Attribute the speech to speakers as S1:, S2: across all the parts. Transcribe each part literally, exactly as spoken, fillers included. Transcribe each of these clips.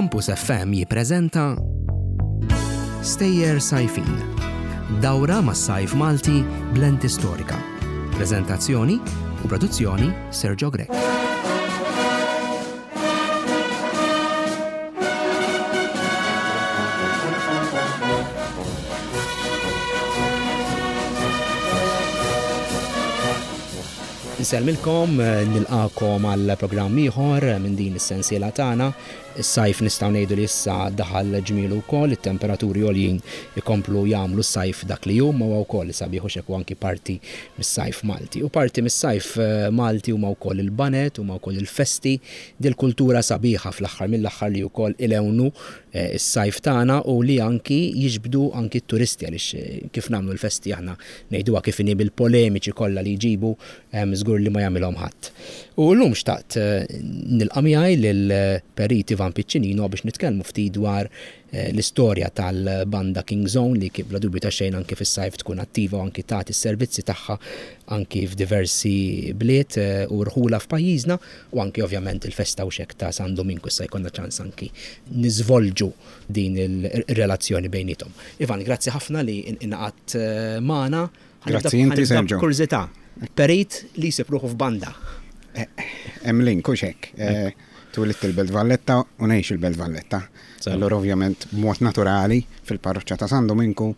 S1: Campus F M jippreżenta Stejjer Sajfin. Dawra mas-sajf Malti b'lenti storika. Preżentazzjoni u produzzjoni Sergio Grech. Nsellmilkom, nilqagħkom għal programm ieħor minn din is-sensiela tagħna. Is-sajf nistgħu ngħidu li issa daħal ġmielu wkoll, it-temperaturi għoljin ikomplu jagħmlu s-sajf dak li hu, ma huwa wkoll sabiħ u xekk anki parti mis-sajf Malti. U parti mis-sajf eh, Malti huma wkoll il-baned, huma wkoll il-festi, dil-kultura sabiħa fl-aħħar mill-aħħar li wkoll ilewnu eh, is-sajf tagħna u li anki jiġbdu anki t-turisti, għaliex eh, kif nagħmlu l-festi aħna, ngħiduha kif inhi, bil-polemiċi kollha li jġibu, żgur li ma jagħmilhom ħadd. U llum xtaqt nilqa' miegħi lil Perit Ivan Piccinino biex nitkellmu ftit dwar eh, l-istorja tal-banda King's Own, li kif bla dubju ta' xejn anki fis-sajf tkun attiva u anki tagħti s-servizzi tagħha anki f'diversi bliet eh, u rħula f'pajjiżna, u anki ovvjament il-festa u xek ta' San Dominku issa jkollna ċans anki niżvolġu din il-relazzjoni bejnietom. Ivan, grazzi ħafna li ingħaqadt eh, magħna.
S2: Grazzi inti, Sergio.
S1: Kurżità. Perit li jsib ruħu f'banda.
S2: Hemm link u xek. Twelidt il-Belt Valletta u ngħix il-Belt Valletta. Allora ovvjament b'mod naturali fil-parroċċa ta' San Dominku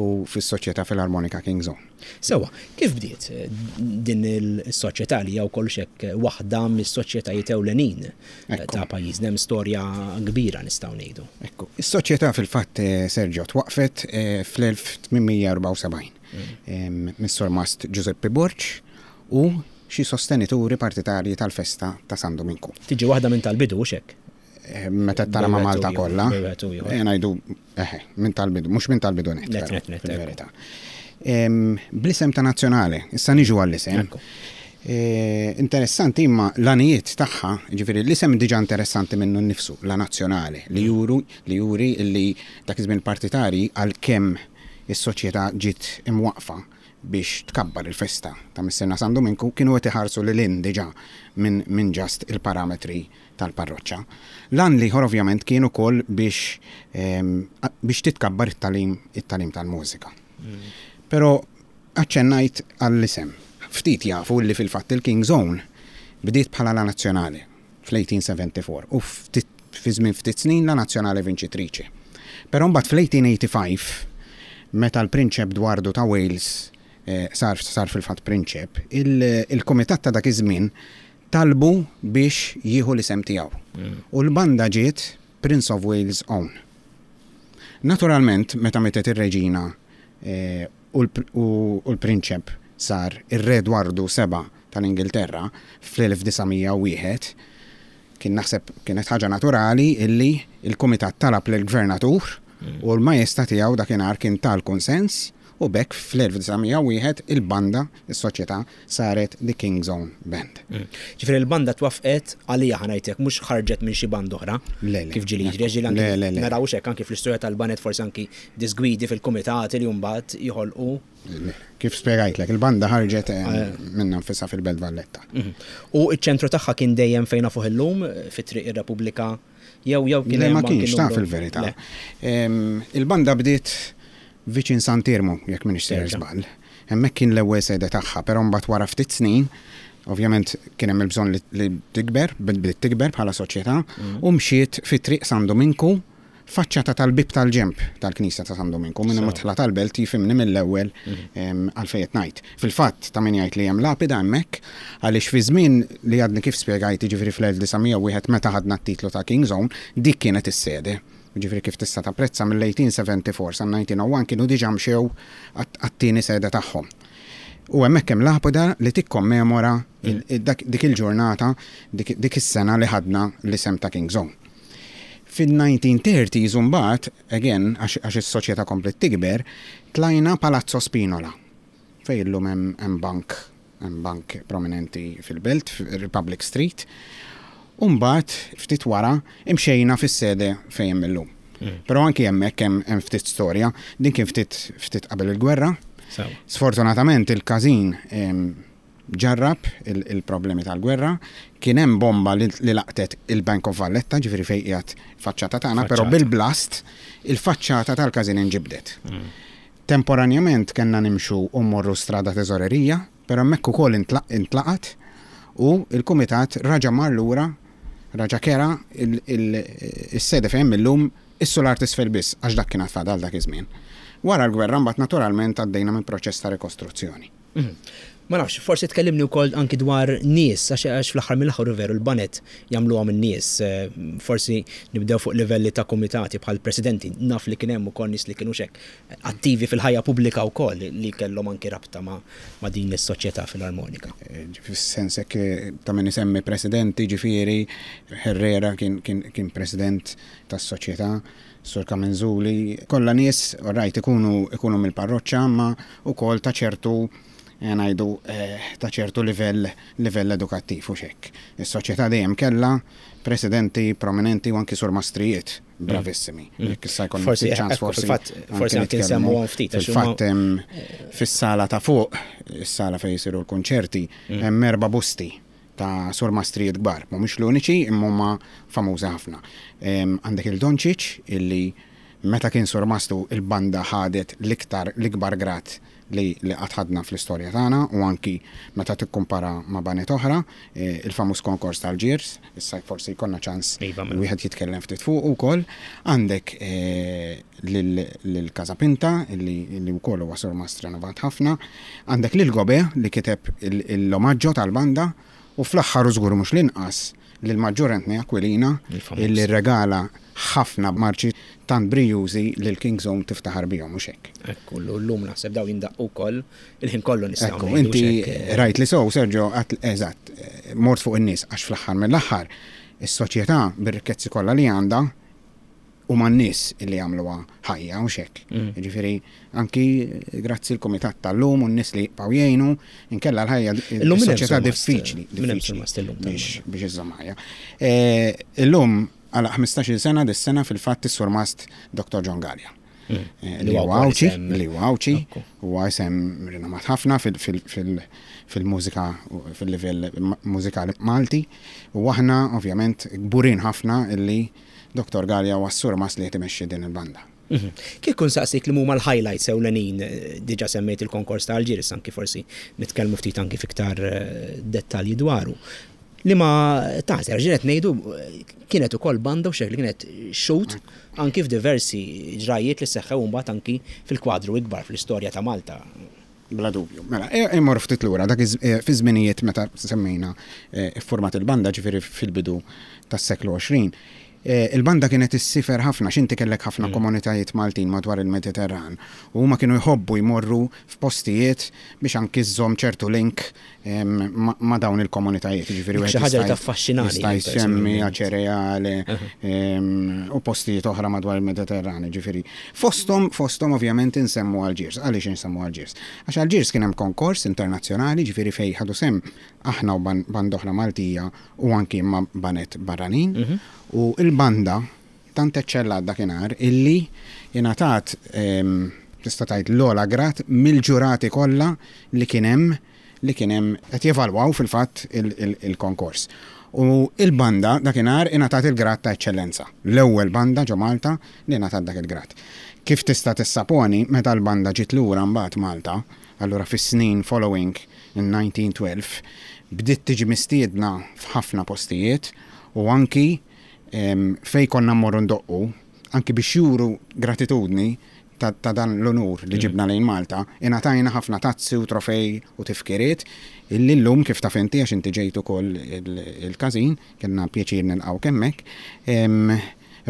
S2: u fis-Soċjetà Filarmonika King's Own.
S1: Sewa, kif bdiet eh, din il-soċjetà li hija wkoll xek waħda mis-soċjetajiet ewlenin eh, ta' pajjiżna, hemm storja kbira, nistgħu ngħidu?
S2: Ekku, is-soċjetà fil-fatt, eh, Sergio, twaqfet fl-elf tmien mija u erbgħa u sebgħin mm. mis-Surmast Giuseppe Borg u xi sostenituri partitarji tal-festa ta' San Dominku.
S1: Tiġi waħda minn tal-bidu, xek?
S2: Eh, meta tara ma' Malta kollha. Eh, ngħidu eħe, minn tal-bidu, mhux minn tal-bidu net.
S1: Net, net, net.
S2: Fil-verità. Bl-isem ta' Nazzjonali, issa niġu għall-isem. Eh, interessanti imma l-għanijiet tagħha, ġifieri l-isem diġà interessanti minnu nnifsu, la Nazzjonali, li juru li juri li dak iż-żmien partitari, għalkemm is-soċjetà ġiet imwaqfa biex tkabbar il-festa ta' Missierna San Dominku, kienu qed iħarsu lil hinn diġà minn min just il-parametri tal-parroċċa. L-għan l-ieħor ovvjament kien ukoll biex biex titkabbar it-tagħlim it-tagħlim tal-mużika. Mm. Però aċċennajt għall-isem. Ftit jafu li fil-fatt il-King's Own bdiet bħala la Nazzjonali fl-elf tmien mija u erbgħa u sebgħin u ftit fi żmien ftit snin la Nazzjonali Vincitrice. Però mbagħad fl-elf tmien mija u tmienja u tmenin, meta l-Prinċep Dwardu ta' Wales eh, sar, sar fil-fatt prinċep, il-komitat ta' dak iż-żmien talbu biex jieħu l-isem tiegħu. Mm. U l-banda ġiet Prince of Wales Own. Naturalment, meta mietet ir-reġina eh, u l-prinċep sar ir-Re Dwardu Seba tal-Ingilterra fl-elf disa' mija u wieħed, kien naħseb kienet ħaġa naturali illi il-komitat talab lill-gvernatur mm. u l-majesta tiegħu dakinhar kien tal-konsens, u b'hekk fl-elf disa' mija u wieħed il-banda, is-soċjetà, saret The King's Own Band.
S1: Mm. Ġifieri il-banda twafqet għalija, ħa ngħidlek, mhux ħarġet minn xi banda oħra. Kif ġieli jiġri, ġieli anki naraw hekk anki fl-istorja tal-baned, forsi anki disgwidi fil-kumitati li mbagħad joħolqu.
S2: Kif spjegajtlek, il-banda ħarġet eh, eh. minnha nfisha fil-Belt Valletta.
S1: Mhm. U iċ-ċentru tagħha kien dejjem fejn nafuh illum, fi Triq ir-Repubblika, jew jew
S2: kien Le, ma kienx ta' fil-verità. Il-banda bdiet viċin Sant'Iermu, jekk m'iniex sejjer żball. Hemmhekk kien l-ewwel sede tagħha, però mbagħad wara ftit snin, ovvjament kien hemm il-bżonn li tikber, bdiet tikber bħala soċjetà, mm. u mxiet fi Triq San Dominku, faċċata tal-bib tal-ġemp tal-Knisja ta' San Dominku, minn midħla tal-belt jifhimni mill-ewwel mm. għalfejn ngħid. Fil-fatt ta' min jgħid li hemm lapida hemmhekk, għaliex fi żmien li għadni kif spjegajt, jiġifieri fl-elf disa' mija u wieħed meta ħadna t-titlu ta' King's Own, dik kienet is-sede. Ġifieri kif tista' tapprezza, mill-elf tmien mija u erbgħa u sebgħin sa elf disa' mija u wieħed kienu diġà mxew għat-tieni sede tagħhom. U hemmhekk hemm lapida li tikkommemora dik il-ġurnata, dik is-sena li ħadna l-isem ta' King's Own. Fil-nineteen thirties mbagħad, again, għax is-soċjetà komplet tikber, tlajna Palazzo Spinola, fejn illum hemm bank, hemm bank prominenti fil-belt, Republic Street. U mbagħad ftit wara imxejna fis-sede fejn hemm illum. Mm. Però anki hemmhekk hemm ftit storja, din kien ftit ftit qabel il-gwerra. Sfortunatament il-każin ġarrab il-problemi tal-gwerra, kien hemm bomba li laqtet il-Bank of Valletta, ġifieri fejn qiegħed faċċata tagħna, però bil-blast il-faċċata tal-każin inġibdet. Mm. Temporanjament kellna nimxu u mmorru Strada Teżorerija, però hemmhekk ukoll intlaqat u il-kumitat raġa mar lura, raġa kera il-sede fejn illum is-sular t'isfel biss, għax dak kien fadal dak iż-żmien. Wara l-gwerra mbagħad naturalment għaddejna minn proċess ta' rikostruzzjoni.
S1: Mhm. Ma nafx, forsi tkellimni wkoll anki dwar nies, għax għax fl-aħħar mill-aħħar veru l-baned jagħmluhom in-nies. Eh, forsi nibdew fuq livelli ta' komitati bħal presidenti, naf li kien hemm ukoll nies li kienu xek attivi fil-ħajja pubblika wkoll li kellhom anki rabta ma', ma' din is-soċjetà filarmonika.
S2: Eh, fis-sens hekk eh, ta' min isemmi presidenti, ġifieri Herrera kien, kien, kien president tas-soċjetà, Sur Kamenzuli, kollha nies, rajt ikunu, ikunu mill-parroċċa, ma ukoll ta' ċertu ngħidu ta' ċertu livell livell edukattiv u xek. Is-soċjetà dejjem kellha presidenti prominenti u anki surmastrijiet bravissimi.
S1: Mm.
S2: Jekk issa jkollna
S1: Forsi,
S2: ftit ċans,
S1: ekku,
S2: forsi
S1: fil-fatt, forsi anki
S2: nitkellmu.
S1: nsemmuhom ftit, għax huma-
S2: Fil-fatt hemm fis-sala ta' fuq, is-sala fejn jisiru l-konċerti,
S1: Mm.
S2: hemm erba' busti ta' surmastrijiet kbar. Mhumiex l-uniċi, imma huma famużi ħafna. Em, Għandek il-Dončić illi meta kien surmastu il-banda ħadet l-iktar l-ikbar grad li li qatt ħadna fl-istorja tagħna u anki meta tikkumpara ma' baned oħra, eh, il-famuż konkors tal-Ġirs, issa forsi jkollna ċans
S1: Iva, mela.
S2: wieħed jitkellem ftit fuq ukoll. Għandek eh, lil lil Casapinta illi illi wkoll huwa surmast renovat ħafna, għandek lil Gobe li kiteb il- l-omaġġo tal-banda u fl-aħħar u żgur mhux l-inqas lil Maġġur Anthony Aquilina
S1: Il-famuż.
S2: illi regala ħafna marċi tant brijużi li l-King's Own tiftaħar bihom mhux hekk.
S1: Ekku, l-lum naħseb daw jindaqqu wkoll il-ħin kollu nistgħu
S2: Ekku,
S1: ngħidu
S2: inti
S1: x'hekk, eh,
S2: rajt li sow, Sergio, għat- eżatt, eh, mort fuq in-nies għax fl-aħħar mill-aħħar is-soċjetà bir-rikkezzi kollha li għandha u man nies illi jagħmluha ħajja u xek.
S1: Mm.
S2: Ġifieri anki grazzi l-kumitat tal-lum u n-nies li jibqgħu jgħinu, inkella l-ħajja
S1: Illum min hemm
S2: is-soċjetà
S1: surmast,
S2: diffiċli,
S1: min hemm
S2: diffiċli
S1: surmast illum
S2: biex
S1: tal-banda?
S2: biex iżżomm ħajja. Eh, Illum għal ħmistax-il sena dis-sena fil-fatt is-surmast Dottor John Gallia.
S1: Mm.
S2: Eh,
S1: Li
S2: Li
S1: huwa
S2: huwa
S1: wkoll
S2: Għawdxi,
S1: isem-
S2: li huwa Għawdxi,
S1: Ekku.
S2: huwa isem rinomat ħafna fil- fil- fil- fil-mużika u fil-livell ma- mużikali Malti u aħna ovvjament kburin ħafna illi Dottor Gallia huwa s-surmast li qed imexxi din il-banda.
S1: Mhm. Kif kun saqsik li huma l-highlights ewlenin, eh, diġà semmejt il-konkors ta' Alġiris, anki forsi nitkellmu ftit anki fiktar eh, dettalji dwaru. Li ma taħseb, ġinet ngħidu eh, kienet ukoll banda u xek li kienet xut anki f'diversi ġrajiet li seħħew mbagħad anki fil-kwadru ikbar fl-istorja ta' Malta.
S2: Bla dubju. Mela, e- immur ftit lura, dak iż- e, fi żminijiet meta semmejna e, iffurmat il-banda ġifieri fil-bidu tas-seklu għoxrin. E, Il-banda kienet issifer ħafna, x'inti kellek ħafna komunitajiet Maltin madwar il-Mediterran u huma kienu jħobbu jmorru f'postijiet biex anki żżomm ċertu link em, ma- ma' dawn il-komunitajiet. Ġifieri
S1: Dik
S2: wieħed
S1: xi ħaġa li
S2: jista'
S1: taffaxxinani
S2: Jista'
S1: jien
S2: jsemmi
S1: personalment.
S2: Aċereale em, u postijiet oħra madwar il-Mediterran, ġifieri. Fosthom, fosthom ovvjament insemmu Alġiers. Għaliex insemmu Alġiers? Għax Alġiers kien hemm konkors internazzjonali, ġifieri fejn ħadu sem aħna u ban- banda oħra Maltija u anki ma' baned barranin. U il-banda tant eċċellat dakinhar illi ingħatat em, tista' tgħid l-ogħla grad mill-ġurati kollha li kien hemm li kien hemm qed jevalwaw fil-fatt il-konkors. U il-banda dakinhar ingħatat il-grad ta' eċċellenza. L-ewwel banda ġo Malta li ingħatat dak il-grad. Kif tista' tissaponi meta l-banda ġiet lura mbagħad Malta, allura fis-snin following in nineteen twelve, bdiet tiġi mistiedna f'ħafna postijiet u anki em, fej konna mmorru ndoqqu, anki biex juru gratitudni ta', ta dan l-onur li ġibna lejn Malta, ingħatajna ħafna tazzi u trofej u tifkiriet illi llum kif taf inti għax inti ġejt ukoll il-każin, kellna pjaċir nilqgħu hemmhekk, em,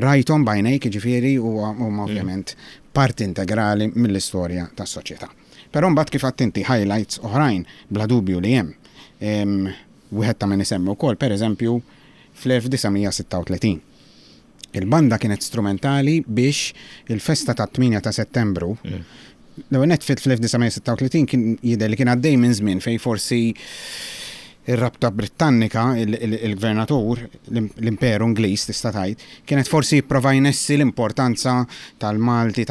S2: rajthom b'għajnejk ġifieri u huma ovvjament parti integrali mill-istorja tas-soċjetà. Però mbagħad kif għedt inti highlights oħrajn bla dubju li hemm. Em, Wieħed ta' min isemmi wkoll, pereżempju, fl-elf disa' mija sitta u tletin. Il-banda kienet strumentali biex il-festa ta' tmienja ta' Settembru, l-ewwel nett fil-elf disa' mija sitta u tletin kien jidher li kien għaddej minn żmien fej forsi ir-rabta Britannika, il-gvernatur, l-Imperu Ingliż tista' tgħid, kienet forsi jipprova jnessi l-importanza tal-Malti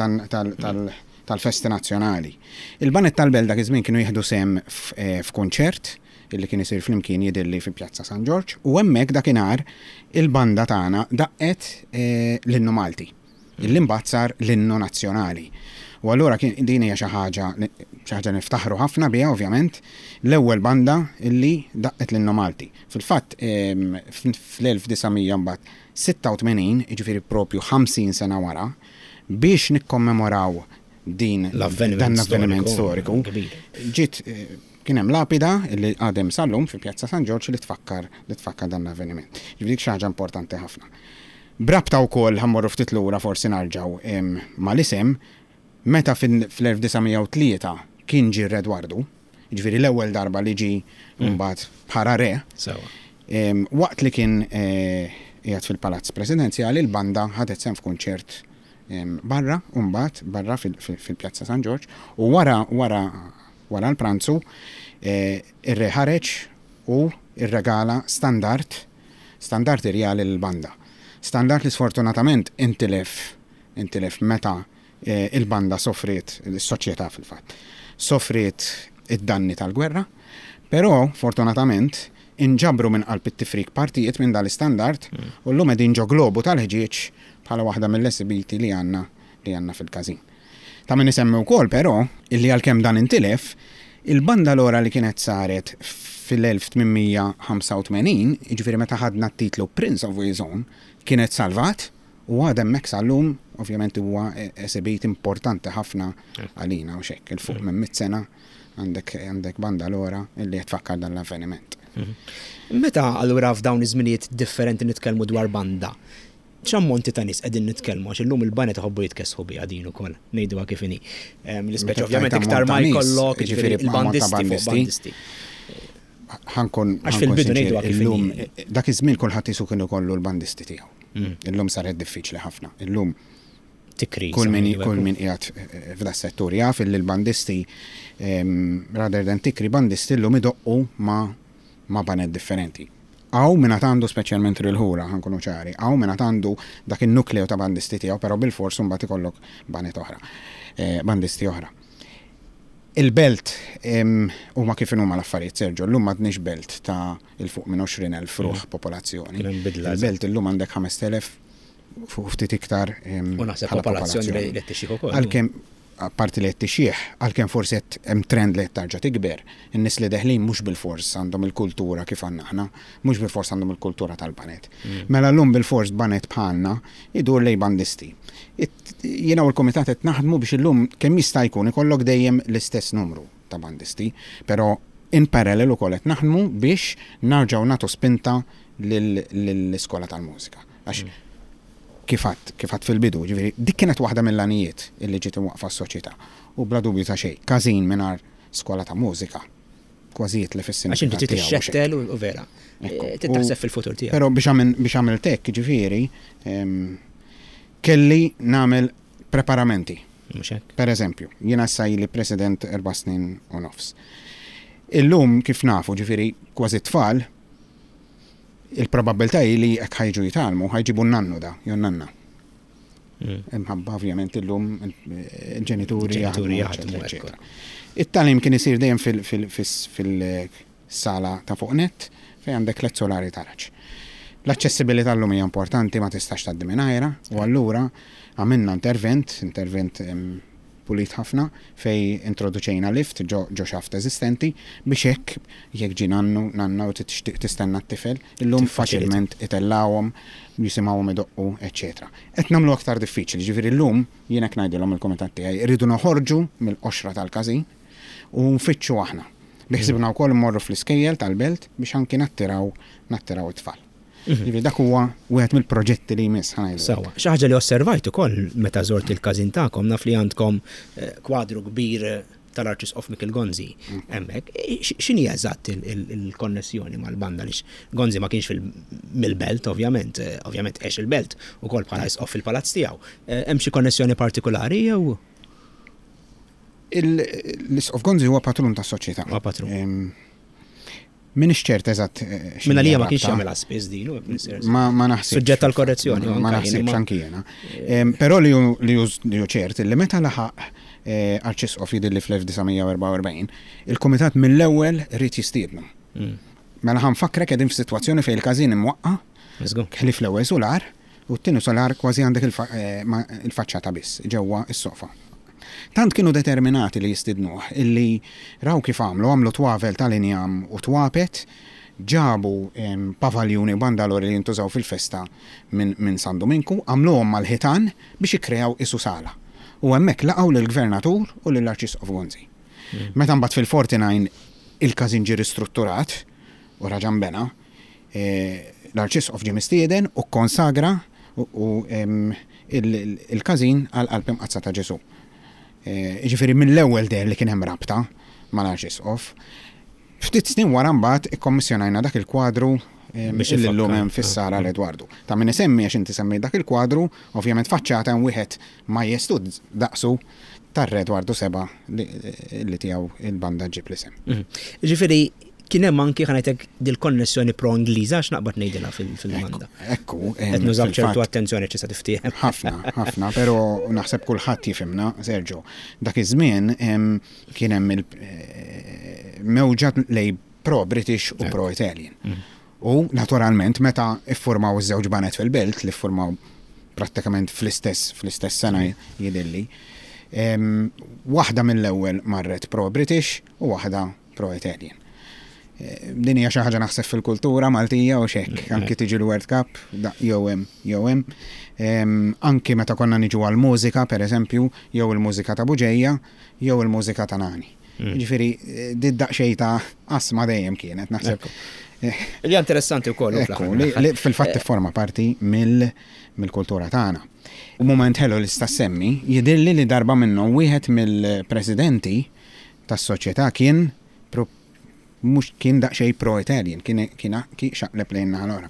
S2: tal-festi nazzjonali. Il-baned tal-Belt dak iż-żmien kienu jieħdu sem f'kunċert illi kien isir flimkien jidhirli fi Pjazza San Ġorġ, u hemmhekk dakinhar il-banda tagħna daqqet eh, l-innu Malti, illi mbagħad sar l-innu nazzjonali. U allura kien din hija xi ħaġa xi ħaġa niftaħru ħafna biha, ovvjament, l-ewwel banda illi daqqet l-innu Malti. Fil-fatt em, fl-elf disa' mija sitta u tmenin, jiġifieri propju ħamsin sena wara, biex nikkommemoraw din
S1: l-avveniment
S2: dan l-avveniment
S1: storiku,
S2: storiku,
S1: kbir.
S2: Ġiet eh, kien hemm lapida li għadha sal-lum fi Pjazza San Ġorġ li tfakkar li tfakkar dan l-avveniment. Ġifieri dik xi ħaġa importanti ħafna. B'rabta wkoll, ħa mmorru ftit lura, forsi narġgħu em, mal-isem, meta fil-elf disa' mija u tlieta kien ġie Re Edwardu, ġifieri l-ewwel darba li ġi mbagħad bħala re,
S1: Sewa.
S2: em, waqt li kien eh, qiegħed fil-Palazz Presidenzjali, il-banda ħadet sehem f'kunċert em, barra, u mbagħad barra fil- fil- fil-Pjazza San Ġorġ, u wara wara wara l-pranzu eh, ir-re ħareġ u irregala standard standard irjali l-banda. Standard li sfortunatament intilef intilef meta eh, il-banda sofriet, il-soċjetà fil-fatt, sofriet id-danni tal-gwerra, però fortunatament inġabru minn qalb it-tifrik partijiet minn dal-istandard u llum qegħdin ġo globu tal-ħġieġ bħala waħda mill-esibiti li għandna li għandna fil-każin. Ta' min isemmi wkoll però illi għalkemm dan intilef, il-bandalora li kienet saret fil-elf tmien mija ħamsa u tmenin, jiġifieri meta ħadna t-titlu Prince of Wales Own, kienet salvat u għadha hemmhekk sal-lum. Ovvjament huwa esibit importanti ħafna għalina u xek, 'il fuq minn mitt sena għandek għandek bandalora illi tfakkar dan l-avveniment.
S1: Meta allura f'dawn iż-żminijiet differenti nitkellmu dwar banda, x'ammonti ta' nies qegħdin nitkellmu, għax illum il-banet iħobbu jitkessħu biha din ukoll, ngħiduha kif inhi. Em, L-ispeċi
S2: Meta
S1: ovvjament
S2: tajt
S1: iktar ma
S2: ammont ta' nies,
S1: jkollok,
S2: jiġifieri
S1: jiġifieri
S2: ammont ta'
S1: il-bandisti fuq
S2: bandisti.
S1: bandisti.
S2: Ħa nkun
S1: Għax fil-bidu ngħiduha kif
S2: illum
S1: inhi.
S2: dak iż-żmien kulħadd isu kienu kollu l-bandisti tiegħu.
S1: Mm.
S2: Illum saret diffiċli ħafna. Illum
S1: Tikri.
S2: kull min
S1: sa
S2: kull min qiegħed eh, f'da settur jaf illi l-bandisti em, rather than tikri bandisti llum idoqqu ma ma baned differenti. Hawn min għandu, speċjalment il-ħura, ħa nkunu ċari, hawn min għandu dak il-nukleu ta' bandisti tiegħu, però bil-fors mbagħad ikollok baned oħra, eh, bandisti oħra. Il-belt em, huma kif huma l-affarijiet, Sergio, llum m'għadniex belt ta' 'il fuq minn għoxrin elf ruħ popolazzjoni.
S1: Kien hemm bidla.
S2: Il-belt illum għandek ħamest elef fuq ftit iktar em,
S1: U naħseb
S2: bħala
S1: popolazzjoni li li tixjieħ ukoll.
S2: Għalkemm apparti li qed tixjieħ, għalkemm forsi qed hemm trend li qed tarġa' tikber, in-nies li deħlin mhux bil-fors għandhom il-kultura kif għandna aħna, mhux bil-fors għandhom il-kultura tal-banet. Mela llum bil-fors banet bħalna idur lej bandisti. It- Jiena u l-komitat qed naħdmu biex illum kemm jista' jkun ikollok dejjem l-istess numru ta' bandisti, però in parallel ukoll qed naħdmu biex narġgħu nagħtu spinta lill-iskola tal-mużika. Għax kif għedt, kif għedt fil-bidu, ġifieri, dik kienet waħda mill-għanijiet illi ġiet imwaqqfa s-soċjetà. U bla dubju ta' xejn, każin mingħajr skola ta' mużika, kważi jitlef
S1: Għax inti trid ixxettel u u vera.
S2: Ekku.
S1: Eh, Trid taħseb fil-futur tiegħek.
S2: Però biex għamil biex għamilt hekk, ġifieri, em, kelli nagħmel preparamenti.
S1: Mhux hekk.
S2: Per eżempju, jiena issa ili president erba' snin u nofs. Illum kif nafu, ġifieri, kważi tfal, il-probabilità hi li jekk ħa jiġu jitgħallmu, ħa jġibu n-nannu da, jew nanna.
S1: Mm.
S2: Imħabba ovvjament illum il-ġenituri
S1: Il-ġenituri
S2: jaħdmu,
S1: jaħdmu,
S2: eccetera, eccetera. It-tagħlim kien isir dejjem fil-sala ta' fuq net fejn għandek tliet solari taraġ. L-aċċessibilità llum hija importanti, ma tistax tgħaddi mingħajrha, u allura għamilna intervent, intervent em, pulit ħafna, fej introduċejna lift ġo, ġo xaft eżistenti biex hekk jekk ġi nannu, nanna u tixtieq tistenna t-tifel, illum
S1: Tiffaċilita.
S2: faċilment itellawhom, jisimgħuhom idoqqu, eċċetera. Qed nagħmlu aktar diffiċli, ġifieri llum jien hekk ngħidilhom il-kumitat tiegħi, irridu noħorġu mill-qoxra tal-każin u nfittxu aħna. Biħsibna wkoll immorru fl-iskejjel tal-belt biex anki nattiraw nattiraw it-tfal. Ġifieri dak huwa wieħed mill-proġetti li jmiss, ħa ngħidu.
S1: Sewa, xi ħaġa li osservajt ukoll meta żort il-każin tagħkom, naf li għandkom eh, kwadru kbir eh, tal-Arċisqof Mikiel Gonzi hemmhekk. Eh, x- X'inhi eżatt il- il- il-konnessjoni mal-banda, lix Gonzi ma kienx fil- mill-belt ovvjament, eh, ovvjament għex il-belt ukoll bħala isqof fil-palazz tiegħu. Eh, Hemm xi konnessjoni partikolari jew
S2: Il- L-Isqof Gonzi huwa patrun tas-soċjetà.
S1: Huwa patrun.
S2: Em, Minix ċert eżatt eh, x'inhi
S1: Minna li ma kienx
S2: rabta.
S1: jagħmilha spiss din u
S2: Ma, ma naħsibx.
S1: Suġġett għal korrezzjoni,
S2: Ma
S1: anka jien,
S2: naħsibx
S1: imma-
S2: anki jiena. Em, Però li hu li hu li hu ċert li meta laħaq eh, Arċisqof jidhirli fl-elf disa' mija erbgħa u erbgħin, il-Kumitat mill-ewwel ried jistiednu. Mm. Mela ħa nfakkrek, qegħdin f'sitwazzjoni fejn il-każin imwaqqa', ħlief l-ewwel solar, u t-tieni solar kważi għandek eh, il-faċċata biss ġewwa s-sofa. Tant kienu determinati li jistidnuh illi raw kif għamlu, għamlu twavel tal-injam u twapet, ġabu pavaljuni u bandalori li jintużaw fil-festa minn min San Dominku, għamluhom mal-ħitan biex ikkreaw isu sala. U hemmhekk laqgħu lill-gvernatur u lill-Arċisqof Gonzi. Mm. Meta mbagħad fil-erbgħa u erbgħin il-każin ġie ristrutturat u raġa' nbena, e, l-Arċisqof ġie mistieden u konsagra u il-każin għal Qalb Imqaddsa ta' Ġesu. E, ġifieri mill-ewwel deher li kien hemm rabta mal-Arċisqof. Ftit snin wara mbagħad ikkommissjonajna dak il-kwadru illum hemm fis-sala l-Edwardu. Ta' min isemmi, għax inti semmi dak il-kwadru, ovvjament faċċata hemm wieħed majestuż daqsu tar-Re Edwardu Seba li tiegħu il-banda ġib l-isem.
S1: Mhm. Ġifieri kien hemm anki, ħa ngħidlek, dil-konnessjoni pro-Ingliża, għax naqbad ngħidilha fil-banda.
S2: Ekku.
S1: Qed nużaw ċertu attenzjoni ċista tiftiehem.
S2: Ħafna, ħafna, però naħseb kulħadd jifhimna, Sergio. Dak iż-żmien kien hemm il-mewġa lej pro-British u pro-Italian. Mhm. U naturalment meta iffurmaw iż-żewġ baned fil-belt, li ffurmaw prattikament fl-istess fl-istess sena jidhirli, waħda mill-ewwel marret pro-British u waħda pro-Italian. Eh, din hija xi ħaġa naħseb fil-kultura Maltija u xek, anki tiġi l-World Cup, jew hemm jew hemm. Anki meta konna niġu għal-mużika, per eżempju, jew il-mużika ta' Buġeja, jew il-mużika ta' Nani. Mm. Ġifieri, di daqsxejn ta' asma dejjem kienet, naħseb.
S1: Li interessanti wkoll.
S2: Li fil-fatt forma parti mill-kultura tagħna. U moment ħelu li sta semmi, jidhirli li darba minnhom wieħed mill-presidenti tas-soċjetà kien mhux kien daqsxejn pro-Italian, kien kien xaqleb lejn naħa l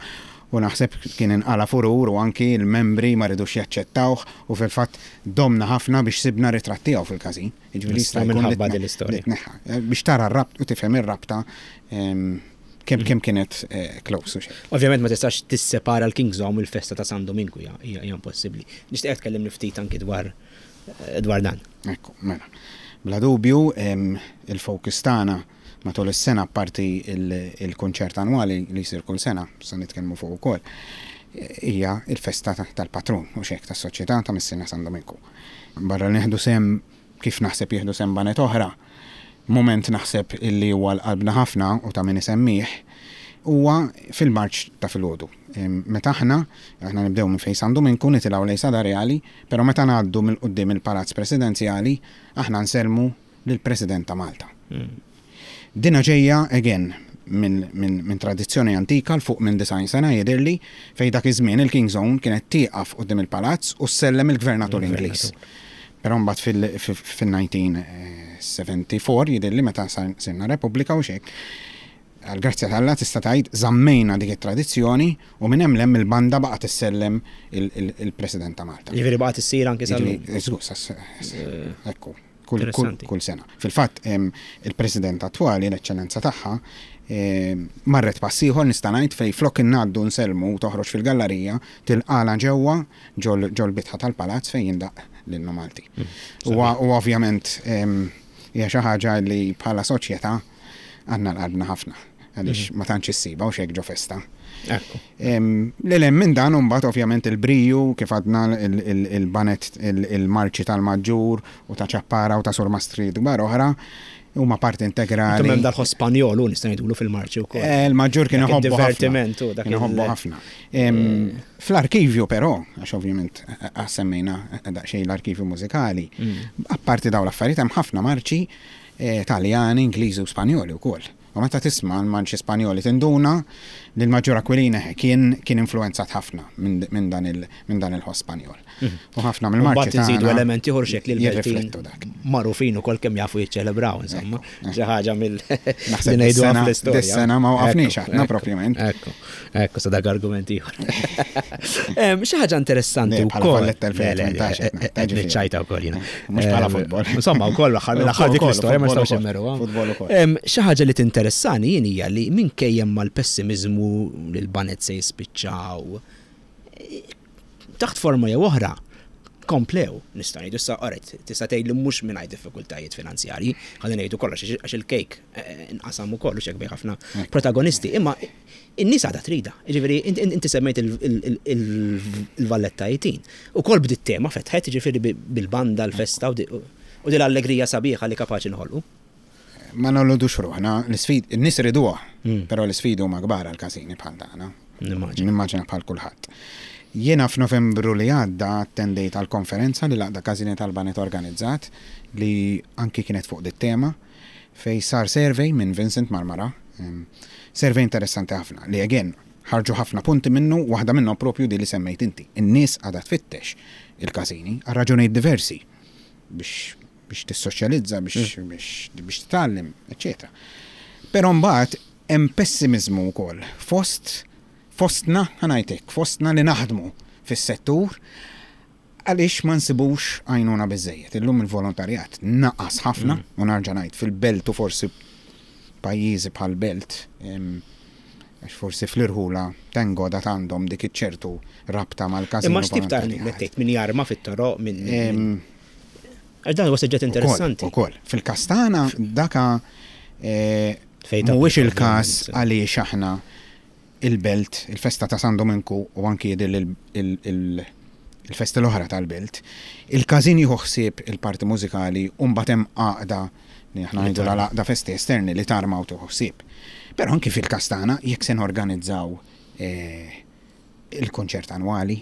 S2: U naħseb kien inqala furur u anki l-membri ma ridux jaċċettawh u fil-fatt domna ħafna biex sibna ritratti tiegħu fil-każin.
S1: Jiġifieri jista' jkun minħabba din l-istorja.
S2: Biex tara r-rabt u tifhem ir-rabta kemm kemm kienet eh, close u xejn.
S1: Ovvjament ma tistax tissepara l-Kings Own il-festa ta' San Dominku, hija hija impossibbli. Nixtieq tkellimni ftit anki dwar eh, dwar dan.
S2: Ekku, mela. Bla dubju, il-focus tagħna matul is-sena, parti il-konċert annwali li jsir kull sena, sa nitkellmu fuq ukoll, hija il-festa tal-patrun u xek tas-soċjetà ta' Missierna San Dominku. Barra nieħdu sehem kif naħseb jieħdu sehem baned oħra, moment naħseb illi huwa l-qalbna ħafna u ta' min isemmih huwa fil-marċ ta' filgħodu. Meta aħna, aħna nibdew minn fejn San Dominku nitilgħu lejn Sada Reali, però meta ngħaddu mill quddiem il-Palazz Presidenzjali, aħna nsellmu lill-President ta' Malta. Mm. Dina ġejja, again, minn min, min tradizzjoni antika l fuq minn disgħin sena jidhirli, fej dak iż-żmien il-King's Own kienet tieqaf quddiem il-palazz u ssellem il-gvernatur Ingliż. Però mbagħad fil-elf disa' mija u erbgħa u sebgħin jidhirli, meta sirna Repubblika u xek, għal-grazzja t'Alla tista' tgħid żammejna dik it-tradizzjoni u minn hemm lem il-banda baqgħet issellem il-President ta' Malta.
S1: Ġifieri baqgħet issir anke sal
S2: Ekku, kull, kull sena. Fil-fatt il-President attwali, l-Eċċellenza tagħha, marret pass ieħor, nista' ngħid, fej flok innaddu nsellmu u toħroġ fil-gallerija, tilqala ġewwa ġol bitħa tal-palazz fejn jindaq l-innu Malti. Mm, u ovvjament hija xi ħaġa li bħala soċjetà għandna l-qalbna ħafna għaliex mhm. ma tantx issiba u xek ġo festa. Lil minn dan mbagħad ovvjament il-briju, kif għadna, il-baned, il-marċi tal-Maġġur u ta' Ċappara u ta' Surmastri kbar oħra huma parti integrali.
S1: Hemm dal Spanjol u nista' ngħidulu fil-marċi wkoll.
S2: Eh, il-Maġġur kien iħobbu
S1: divertiment u
S2: dak. Kien iħobbu ħafna. Fl-arkivju però, għax ovvjament semmejna daqsxejn l-arkivju mużikali, mm. apparti dawn l-affarijiet hemm ħafna marċi eh, Taljani, Ingliżi u Spanjoli wkoll. U meta tisma' l-marċi Spanjoli tinduna li l-Maġġur Aquilina kien kien influenzat ħafna minn dan il-ħoss Spanjol. Mhm. U ħafna mill-marċi.
S1: Mbagħad nżidu elementi ieħor xek li l-Beltin magħrufin ukoll kemm jafu jiċċelebraw, insomma. Xi ħaġa mill
S2: Naħseb ngħidu fl-istorja. Dis-sena ma waqafniex aħna propjament.
S1: Ekku, ekku, sa dak argument ieħor. Xi ħaġa interessanti
S2: wkoll. Valletta elfejn u tmintax.
S1: Niċċajta wkoll jiena.
S2: Mhux bħala futbol.
S1: Insomma, wkoll l-aħħar dik l-istorja ma nistgħux immeruha.
S2: Futbol ukoll.
S1: Xi ħaġa li tinteressani jien hija li minkejja mal-pessimizmu li l-baned se jispiċċaw, taħt forma jew oħra, Komplew, nista' ngħidu issa alright, tista' tgħid li mhux mingħajr diffikultajiet finanzjarji, ħalli ngħidu kollox għax il-kejk inqasam ukoll u xek bejn ħafna protagonisti, imma in-nies għadha trida. Jiġifieri inti semmejt il-Valletta eighteen. Ukoll bdiet tema fetħet, jiġifieri bil-banda, l-festa u din l-allegrija sabiħa li kapaċi nħolqu.
S2: Ma nolludux ruħna, l-isfid, in-nies iriduha, però l-isfidi huma kbar għall-każini bħal tagħna. Nimmaġina bħal kulħadd. Jiena f'Novembru li għadda attendejt għal konferenza li l-Għaqda Każini tal-Baned organizzat li anki kienet fuq dit tema fej sar survey minn Vincent Marmara, survey interessanti ħafna li again ħarġu ħafna punti minnu, waħda minnhom propju di li semmejt inti. In-nies għadha tfittex il-każini għal raġunijiet diversi biex biex tissoċjalizza, biex biex biex titgħallem, eċċetera. Però mbagħad hemm pessimiżmu wkoll fost fostna, ħanajtek, fostna li naħdmu fis-settur għaliex ma nsibux għajnuna biżejjed. Illum il-volontarjat naqas ħafna, u narġa' ngħid fil-belt u forsi pajjiżi bħal belt, għax forsi fl-irħula thank God għad għandhom dik iċ-ċertu rabta mal-każin.
S1: Imma x'tip ta' għajnuna tgħid min jarma fit-toroq minn għax dan huwa suġġett interessanti.
S2: Ukoll, fil-Kastana daka mhuwiex il-każ għaliex aħna il-belt, il-festa ta' San Dominku u anki il-festa l-oħra tal-belt, il-każin jieħu ħsieb il-parti mużikali u mbagħad hemm għaqda li aħna ngħidu l-għaqda festi esterni li tarma u tieħu ħsieb. Però anki fil-Kastana jekk se norganizzaw il-konċert annwali,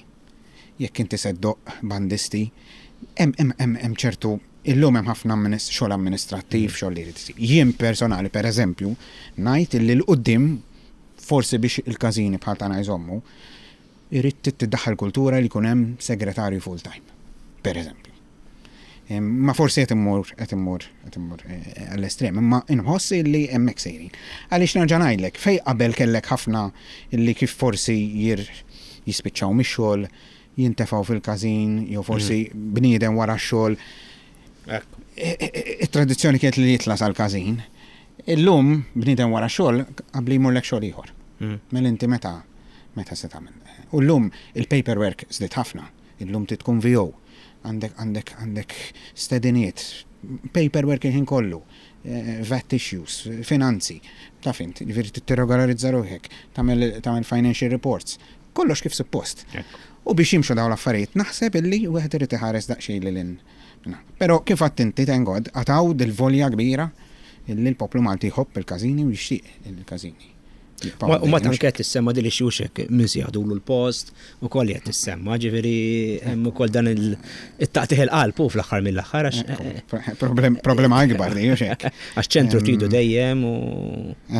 S2: jekk inti se ddoqq bandisti, hemm hemm ċertu illum hemm ħafna xogħol amministrattiv, xogħol li jrid isir. Jien personali pereżempju ngħid illi l-quddiem forsi biex il-każini bħal tagħna jżommu, irid tiddaħħal kultura li jkun hemm segretarju full time, per eżempju. Ma forsi qed immur qed immur qed immur għall-estrem, imma inħoss li hemmhekk sejrin. Għaliex nerġa' ngħidlek, fej qabel kellek ħafna illi kif forsi jir jispiċċaw mix-xogħol, jintefgħu fil-każin, jew forsi bniedem wara x-xogħol. It-tradizzjoni kienet li jitla' sal-każin. Illum bniedem wara xogħol qabli jmurlek xogħol ieħor. Mela inti meta meta se tagħmel. U llum il-paperwork żdied ħafna. Illum trid tkun V O. Għandek għandek għandek stediniet, paperwork il-ħin kollu, V A T issues, finanzi. Taf int, jiġifieri tirregolarizza ruħek, tagħmel tagħmel financial reports. Kollox kif suppost. U biex jimxu dawn l-affarijiet naħseb illi wieħed irid iħares daqsxejn lil hinn. Però kif għadt inti thank God, għataw dil-volja kbira illi l-poplu Malti jħobb il-każini u jixtieq il-każini.
S1: U ma tanke qed tissemma din ix-xuxek min se jaħdulu l-post u koll qed tissemma, ġifieri hemm ukoll dan it-taqtih il-qalb u fl-aħħar mill-aħħar għax
S2: Problema akbar di, hux hekk.
S1: Għax ċentru tridu dejjem u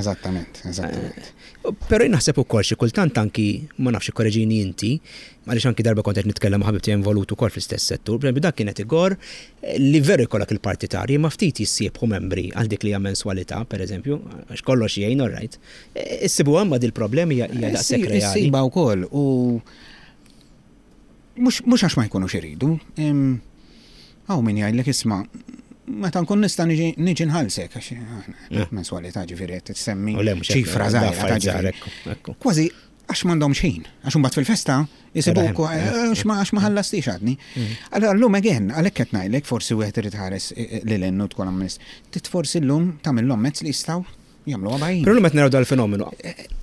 S2: Eżattament, eżattament.
S1: Però jien naħseb ukoll xi kultant anki ma nafx ikkoreġini inti, għaliex anki darba kont qed nitkellem ma' ħabib tiegħi involut ukoll fl-istess settur, pereżempju dak kienet igor li veru jkollok il-partitarji ma ftit jissiebħu membri għal dik li hija menswalità, pereżempju, għax kollox jgħin, all right. Issibu hemm dil problemi hija daqshekk reali.
S2: Issiba wkoll u mhux għax ma jkunux iridu. Hawn min jgħidlek isma' meta nkun nista' niġi nħallsek għax aħna menswalità ġifieri qed tissemmi ċifra żgħira. Kważi għax m'għandhomx ħin, għax imbagħad fil-festa jisibuk għax ma ħallastix għadni. Allura llum again, għalhekk qed ngħidlek forsi wieħed irid ħares lil hinn u tkun amminist. Tit forsi llum tagħmilhom mezz li jistgħu jagħmluha bajjin.
S1: Però llum qed naraw dal-fenomenu.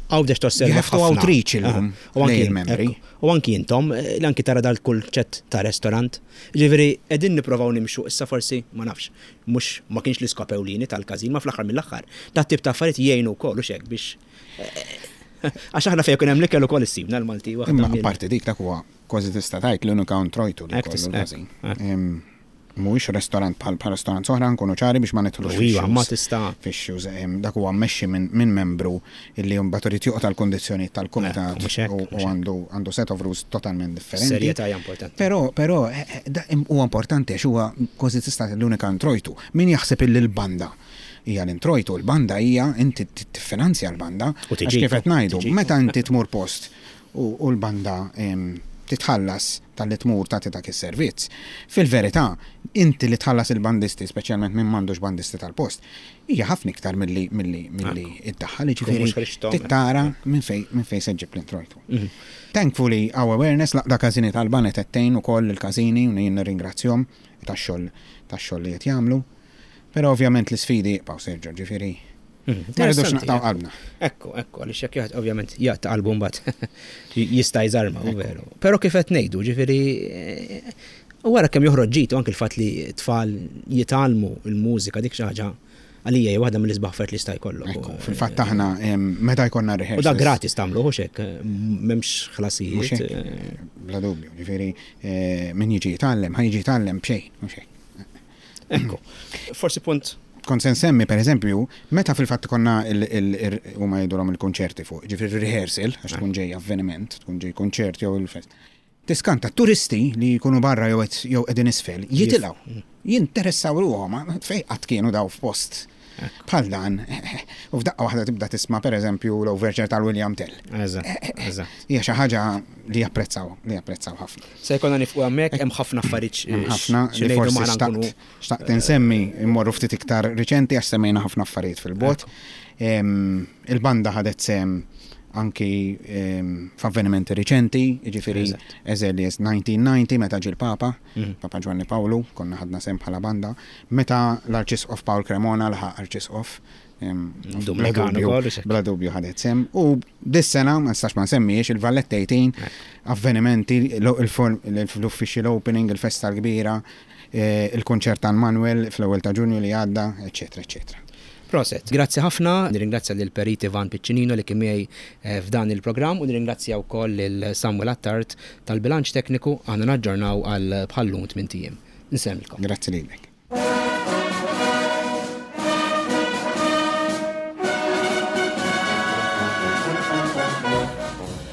S1: Għawdex tosserva
S2: You have to outreach illum lejn il-membri.
S1: U anki intom, li anki tara dal-kunċett ta' restorant. Ġifieri qegħdin nipprovaw nimxu issa forsi ma nafx, mhux ma kienx l-iskop ewlieni tal-każin, ma fl-aħħar mill-aħħar. Dat tip ta' affarijiet jgħinu wkoll u xek biex għax aħna fejn ikun hemm l-ikel ukoll issibna l-Malti waħda.
S2: Imma apparti dik dak huwa kważi tista' tgħid l-unika introjtu li kollu l-każin. Mhuwiex restorant bħal bħal restorant oħra, nkunu ċari biex ma nidħlux
S1: Iva, ma tista'.
S2: fix-shoes. Dak huwa mmexxi minn membru illi mbagħad irid joqgħod għall-kundizzjonijiet tal-kumitat u għandu għandu set of rules totalment differenti.
S1: Serjetà hija importanti.
S2: Però però huwa importanti għax huwa kważi tista' l-unika introjtu. Min jaħseb illi l-banda hija l-introjtu, l-banda hija inti tiffinanzja l-banda.
S1: U
S2: Għax kif qed ngħidu, meta inti tmur post u l-banda titħallas talli tmur tagħti dak is-servizz. Fil-verità, inti li tħallas il-bandisti, speċjalment minn m'għandux bandisti tal-post, hija ħafna iktar milli milli milli iddaħħal, jiġifieri tara minn fejn minn fejn se ġġib l-introjtu. Mhm. Thankfully, our awareness l-Għaqda Każini tal-Baned qed tgħin ukoll il-każini u jien nirringrazzjahom tax-xogħol tax-xogħol li qed jagħmlu. Però ovvjament l-isfidi jibqgħu, Sergio, ġifieri
S1: Mhm.
S2: ma rridux naqtgħu qalbna.
S1: Ekku, ekku, għaliex jekk jgħid ovvjament jaqta' qalbu mbagħad jista' jżarma, u veru. Però kif qed ngħidu, ġifieri eh, u wara kemm joħroġ ġid u anke l-fatt li tfal jitgħallmu l-mużika, dik xi ħaġa għalija hija waħda mill-isbaħ affarijiet li jista' jkollok.
S2: Ekku, fil-fatt aħna em, meta jkollna
S1: U
S2: rehearsals.
S1: da gratis tagħmlu, hux hekk, m'hemmx
S2: Mhux
S1: ħlasijiet.
S2: hekk,
S1: eh,
S2: bla dubju, ġifieri eh, min jiġi jitgħallem, ħa jiġi jitgħallem b'xejn, mhux hekk.
S1: Ekku. Forsi punt
S2: Kont se nsemmi, per eżempju, meta fil-fatt konna huma jgħidulhom il-konċerti fuq, ġifieri rehearsal, għax tkun ġej avveniment, tkun ġej konċert jew il-fest. Tiskanta turisti li jkunu barra jew qed- jew qegħdin isfel, jitilgħu, jinteressaw ruħhom, fej qatt kienu daw f'post bħal dan, u f'daqqa waħda tibda tisma' per eżempju l-overture tal-William Tell.
S1: Eżatt, eżatt.
S2: Hija xi ħaġa li japprezzaw, li japprezzaw ħafna.
S1: Se jkollna nieqfu hemmhekk, hemm ħafna affarijiet
S2: Hemm ħafna
S1: xi
S2: li
S1: ngħidu
S2: forsi
S1: maħna nkunu
S2: xtaqt xtaqt insemmi immorru ftit iktar riċenti għax semmejna ħafna affarijiet fil-bot. Em, Il-banda ħadet sehem anki em, f'avvenimenti riċenti, jiġifieri
S1: Eżatt.
S2: as early as nineteen ninety meta ġie l-Papa,
S1: Mhm.
S2: Papa Giovanni Paolo, konna ħadna sehem bħala banda, meta l-Arċisqof Paul Cremona laħaq Arċisqof, em, bla
S1: Dominikano
S2: dubju-
S1: ukoll, hux hekk?
S2: bla dubju ħadet sehem. U dis-sena, ma nistax ma nsemmiex, il-Valletta eighteen, avvenimenti, l-official opening, il-festa l-kbira, eh, il-konċert tal Manuel fl-ewwel ta' Ġunju li għadda, eċetera, eċetera.
S1: Proset. Grazzi ħafna, nirringrazzja lil Perit Ivan Piccinino li kien miegħi eh, f'dan il-programm u nirringrazzja wkoll lil Samuel Attard tal-bilanċ tekniku. Aħna naġġornaw għal bħallum tmint ijiem. Nsemmilkom.
S2: Grazzi lilek.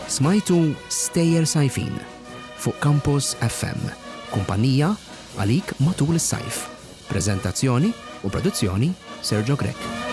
S1: Smajtu Stejjer Sajfin fuq Campus F M. Kumpanija għalik matul is-sajf. Prezentazzjoni u produzzjoni Sergio Grech.